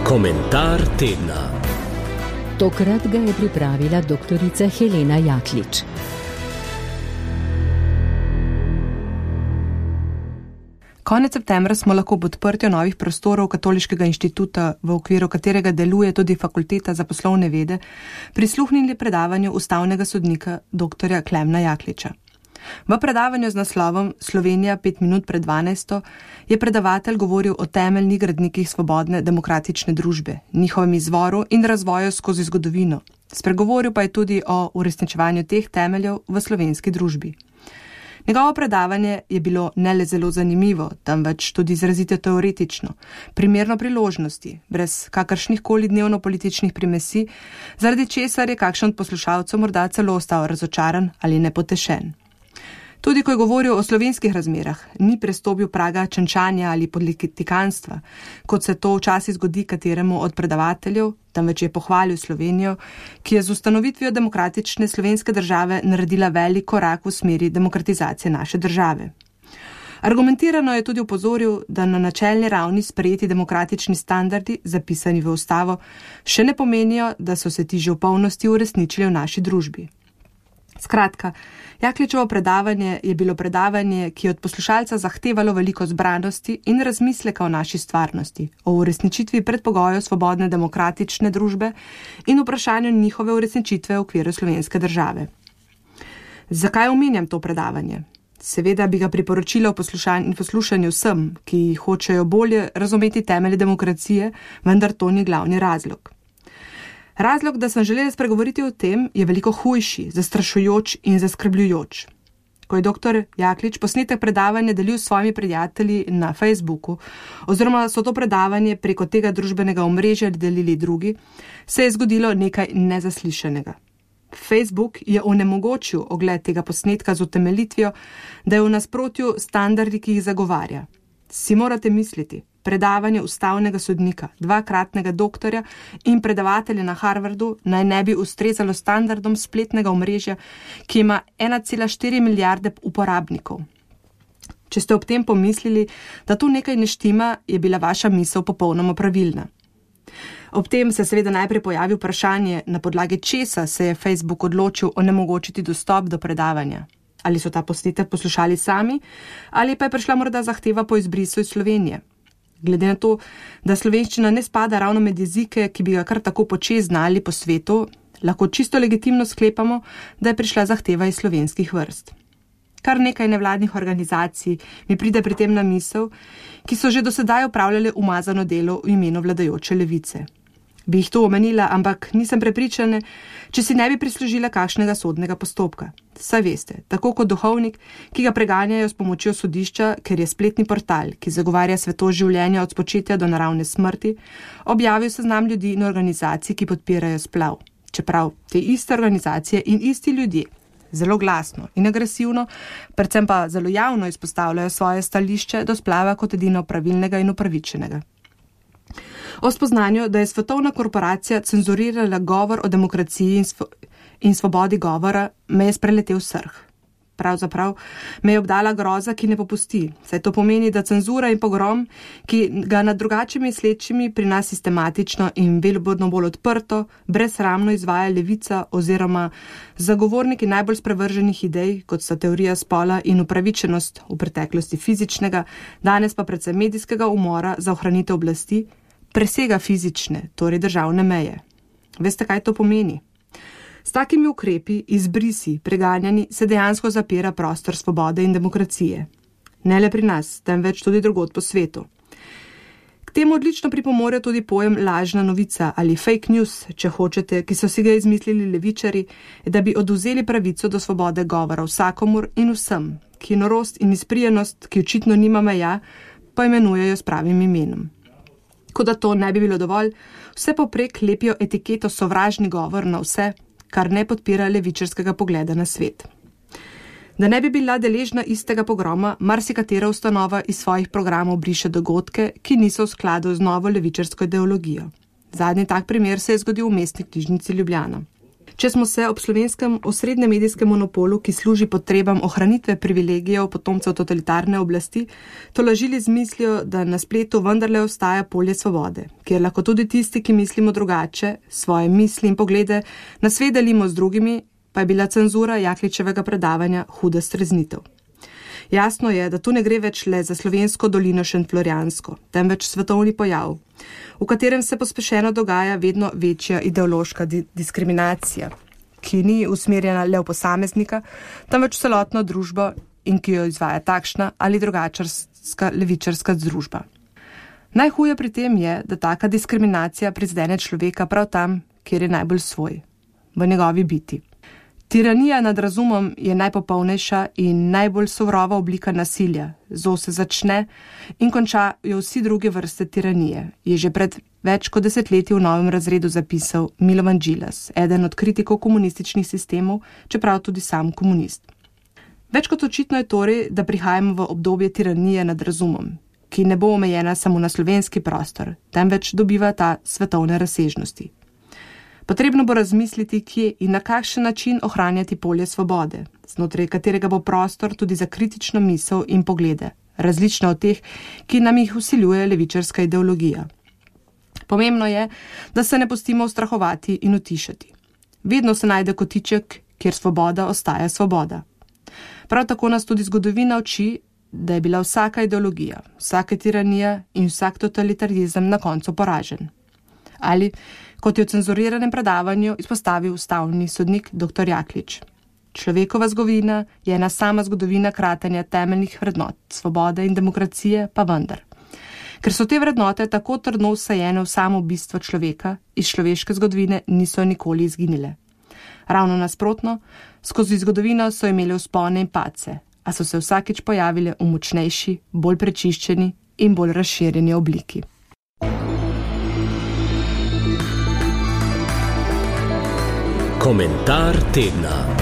Komentar tedna. Tokrat ga je pripravila doktorica Helena Jaklič. Konec septembra smo lahko ob odprtju novih prostorov Katoliškega inštituta, v okviru katerega deluje tudi Fakulteta za poslovne vede, prisluhnili predavanju ustavnega sodnika dr. Klemna Jakliča. V predavanju z naslovom Slovenija 5 minut pred 12. je predavatelj govoril o temeljnih gradnikih svobodne demokratične družbe, njihovem izvoru in razvoju skozi zgodovino. Spregovoril pa je tudi o uresničevanju teh temeljev v slovenski družbi. Njegovo predavanje je bilo ne le zelo zanimivo, temveč tudi izrazito teoretično, primerno priložnosti, brez kakršnih koli dnevno-političnih primesi, zaradi česar je kakšen od poslušalcev morda celo ostal razočaran ali nepotešen. Tudi ko je govoril o slovenskih razmerah, ni prestopil praga čenčanja ali politikanstva, kot se to včasih zgodi kateremu od predavateljev, temveč je pohvalil Slovenijo, ki je z ustanovitvijo demokratične slovenske države naredila velik korak v smeri demokratizacije naše države. Argumentirano je tudi upozoril, da na načelni ravni sprejeti demokratični standardi, zapisani v ustavo, še ne pomenijo, da so se ti že v polnosti uresničili v naši družbi. Skratka, Jakličevo predavanje je bilo predavanje, ki je od poslušalca zahtevalo veliko zbranosti in razmisleka o naši stvarnosti, o uresničitvi predpogojev svobodne demokratične družbe in vprašanju njihove uresničitve v okviru slovenske države. Zakaj omenjam to predavanje? Seveda bi ga priporočila v poslušanju vsem, ki hočejo bolje razumeti temelje demokracije, vendar to ni glavni razlog. Razlog, da sem želela spregovoriti o tem, je veliko hujši, zastrašujoč in zaskrbljujoč. Ko je dr. Jaklič posnetek predavanja delil s svojimi prijatelji na Facebooku, oziroma so to predavanje preko tega družbenega omrežja delili drugi, se je zgodilo nekaj nezaslišanega. Facebook je onemogočil ogled tega posnetka z utemeljitvijo, da je v nasprotju standardi, ki jih zagovarja. Si morate misliti, predavanje ustavnega sodnika, dvakratnega doktorja in predavatelja na Harvardu naj ne bi ustrezalo standardom spletnega omrežja, ki ima 1,4 milijarde uporabnikov. Če ste ob tem pomislili, da tu nekaj ne štima, je bila vaša misel popolnoma pravilna. Ob tem se seveda najprej pojavi vprašanje, na podlagi česa se je Facebook odločil onemogočiti dostop do predavanja. Ali so ta posnetek poslušali sami, ali pa je prišla morda zahteva po izbrisu iz Slovenije. Glede na to, da slovenščina ne spada ravno med jezike, ki bi ga kar tako počez znali po svetu, lahko čisto legitimno sklepamo, da je prišla zahteva iz slovenskih vrst. Kar nekaj nevladnih organizacij mi pride pri tem na misel, ki so že do sedaj opravljale umazano delo v imenu vladajoče levice. Bi jih to omenila, ampak nisem prepričana, če si ne bi prislužila kakšnega sodnega postopka. Saj veste, tako kot duhovnik, ki ga preganjajo s pomočjo sodišča, ker je spletni portal, ki zagovarja svetost življenja od spočetja do naravne smrti, objavil seznam ljudi in organizacij, ki podpirajo splav. Čeprav te iste organizacije in isti ljudje zelo glasno in agresivno, predvsem pa zelo javno izpostavljajo svoje stališče do splava kot edino pravilnega in upravičenega. O spoznanju, da je svetovna korporacija cenzurirala govor o demokraciji in svobodi govora, me je spreletel srh. Pravzaprav me je obdala groza, ki ne popusti, saj to pomeni, da cenzura in pogrom, ki ga nad drugačimi slečimi pri nas sistematično in vedno bolj odprto, brezsramno izvaja levica oziroma zagovorniki najbolj sprevrženih idej, kot so teorija spola in upravičenost v preteklosti fizičnega, danes pa predvsem medijskega umora za ohranitev oblasti, presega fizične, torej državne meje. Veste, kaj to pomeni? S takimi ukrepi, izbrisi, preganjani, se dejansko zapira prostor svobode in demokracije. Ne le pri nas, temveč tudi drugod po svetu. K temu odlično pripomore tudi pojem lažna novica ali fake news, če hočete, ki so si ga izmislili levičari, da bi odvzeli pravico do svobode govora vsakomur in vsem, ki norost in izprijenost, ki očitno nima meja, pa imenujejo s pravim imenom. Kot da to ne bi bilo dovolj, vse poprek lepijo etiketo sovražni govor na vse, kar ne podpira levičarskega pogleda na svet. Da ne bi bila deležna istega pogroma, marsikatera ustanova iz svojih programov briše dogodke, ki niso v skladu z novo levičarsko ideologijo. Zadnji tak primer se je zgodil v Mestni knjižnici Ljubljana. Če smo se ob slovenskem osrednjem medijskem monopolu, ki služi potrebam ohranitve privilegijev potomcev totalitarne oblasti, tolažili z mislijo, da na spletu vendarle ostaja polje svobode, kjer lahko tudi tisti, ki mislimo drugače, svoje misli in poglede na svet delimo z drugimi, pa je bila cenzura Jakličevega predavanja huda streznitev. Jasno je, da tu ne gre več le za slovensko dolino šentflorjansko, temveč svetovni pojav, v katerem se pospešeno dogaja vedno večja ideološka diskriminacija, ki ni usmerjena le v posameznika, temveč celotno družbo in ki jo izvaja takšna ali drugačarska levičarska družba. Najhuje pri tem je, da taka diskriminacija prizadene človeka prav tam, kjer je najbolj svoj, v njegovi biti. Tiranija nad razumom je najpopolnejša in najbolj surova oblika nasilja. Zo se začne in končajo vsi druge vrste tiranije, je že pred več kot desetletji v Novem razredu zapisal Milovan Džilas, eden od kritikov komunističnih sistemov, čeprav tudi sam komunist. Več kot očitno je torej, da prihajamo v obdobje tiranije nad razumom, ki ne bo omejena samo na slovenski prostor, temveč dobiva ta svetovne razsežnosti. Potrebno bo razmisliti, kje in na kakšen način ohranjati polje svobode, znotraj katerega bo prostor tudi za kritično misel in poglede, različne od teh, ki nam jih vsiljuje levičarska ideologija. Pomembno je, da se ne pustimo ustrahovati in utišati. Vedno se najde kotiček, kjer svoboda ostaja svoboda. Prav tako nas tudi zgodovina uči, da je bila vsaka ideologija, vsaka tiranija in vsak totalitarizem na koncu poražen. Ali, kot je v cenzuriranem predavanju izpostavil ustavni sodnik dr. Jaklič. Človekova zgodovina je ena sama zgodovina kratenja temeljnih vrednot, svobode in demokracije pa vendar. Ker so te vrednote tako trdno vsajene v samo bistvo človeka, iz človeške zgodovine niso nikoli izginile. Ravno nasprotno, skozi zgodovino so imeli vzpone in padce, a so se vsakič pojavile v močnejši, bolj prečiščeni in bolj razširjeni obliki. Komentar tedna.